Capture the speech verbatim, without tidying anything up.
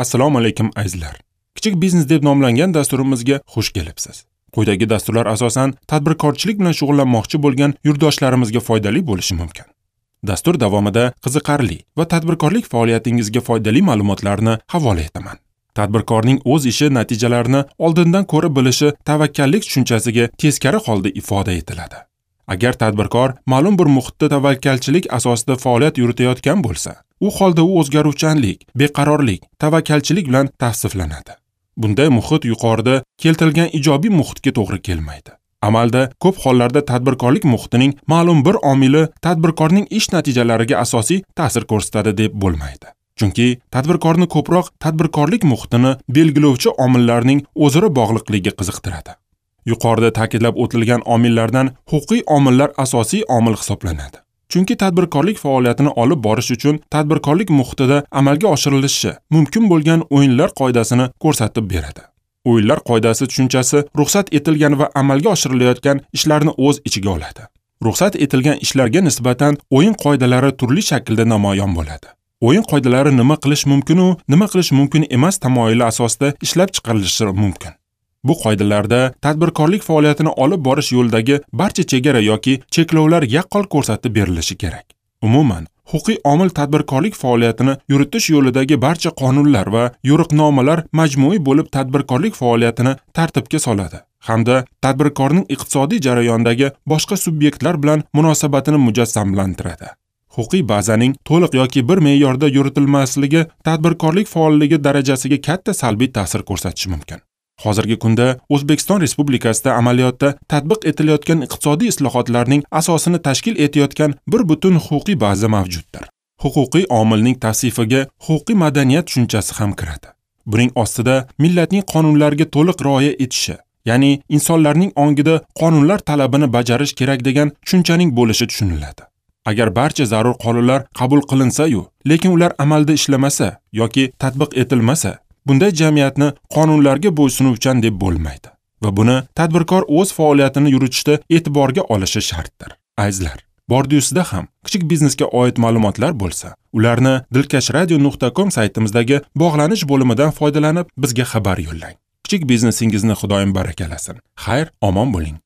Assalomu alaykum azizlar. Kichik biznes deb nomlangan dasturimizga xush kelibsiz. Quyidagi dasturlar asosan tadbirkorchilik bilan shug'ullanmoqchi bo'lgan yurtdoshlarimizga foydali bo'lishi mumkin. Dastur davomida qiziqarli va tadbirkorlik faoliyatingizga foydali ma'lumotlarni havola etaman. Tadbirkorning o'z ishi natijalarini oldindan ko'rib bilishi tavakkallik tushunchasiga teskari holda ifoda etiladi. Agar tadbirkor ma'lum bir muhitda tavakkalchilik asosida faoliyat yuritayotgan bo'lsa, u holda u o'zgaruvchanlik, beqarorlik, tavakkalchilik bilan tavsiflanadi. Bunday muhit yuqorida keltirilgan ijobiy muhitga to'g'ri kelmaydi. Amalda ko'p hollarda tadbirkorlik muhitining ma'lum bir omili tadbirkorning ish natijalariga asosiy ta'sir ko'rsatadi deb bo'lmaydi. Chunki tadbirkorni ko'proq tadbirkorlik muhitini belgilovchi omillarning o'zaro bog'liqligi qiziqtiradi. Yuqorida ta'kidlab o'tilgan omillardan huquqiy omillar asosiy omil hisoblanadi. Chunki tadbirkorlik faoliyatini olib borish uchun tadbirkorlik muhitida amalga oshirilishi mumkin bo'lgan o'yinlar qoidasini ko'rsatib beradi. O'yinlar qoidasi tushunchasi ruxsat etilgan va amalga oshirilayotgan ishlarni o'z ichiga oladi. Ruxsat etilgan ishlarga nisbatan o'yin qoidalari turli shaklda namoyon bo'ladi. O'yin qoidalari nima qilish mumkin u nima qilish mumkin emas tamoyili asosida ishlab chiqarilishi mumkin. Bu qoidalarda tadbirkorlik faoliyatini olib borish yo'lidagi barcha chegara yoki cheklovlar yaqqol ko'rsatib berilishi kerak. Umuman, huquqiy omil tadbirkorlik faoliyatini yuritish yo'lidagi barcha qonunlar va yo'riqnomalar majmui bo'lib tadbirkorlik faoliyatini tartibga soladi hamda tadbirkorning iqtisodiy jarayondagi boshqa subyektlar bilan munosabatini mujassamlantiradi. Huquqiy bazaning to'liq yoki bir me'yorda yuritilmasligi tadbirkorlik faolligi darajasiga katta salbiy ta'sir ko'rsatishi mumkin. Hozirgi kunda O'zbekiston Respublikasida amaliyotda tatbiq etilayotgan iqtisodiy islohotlarning asosini tashkil etayotgan bir butun huquqiy baza mavjuddir. Huquqiy omilning tavsifiga huquqiy madaniyat tushunchasi ham kiradi. Buning ostida millatning qonunlarga to'liq rioya etishi, ya'ni insonlarning ongida qonunlar talabini bajarish kerak degan tushunchaning bo'lishi tushuniladi. Agar barcha zarur qonunlar qabul qilinsa-yu, lekin ular amalda ishlamasa yoki tatbiq etilmasa, bunday jamiyatni qonunlarga bo'ysunuvchan deb bo'lmaydi va buni tadbirkor o'z faoliyatini yuritishda e'tiborga olishi shartdir. Azizlar, bordiusida ham kichik biznesga oid ma'lumotlar bo'lsa, ularni dilkash radio nuqta com saytimizdagi bog'lanish bo'limidan foydalanib bizga xabar yo'llang. Kichik biznesingizni Xudoyim barakalasin. Xayr, omon bo'ling.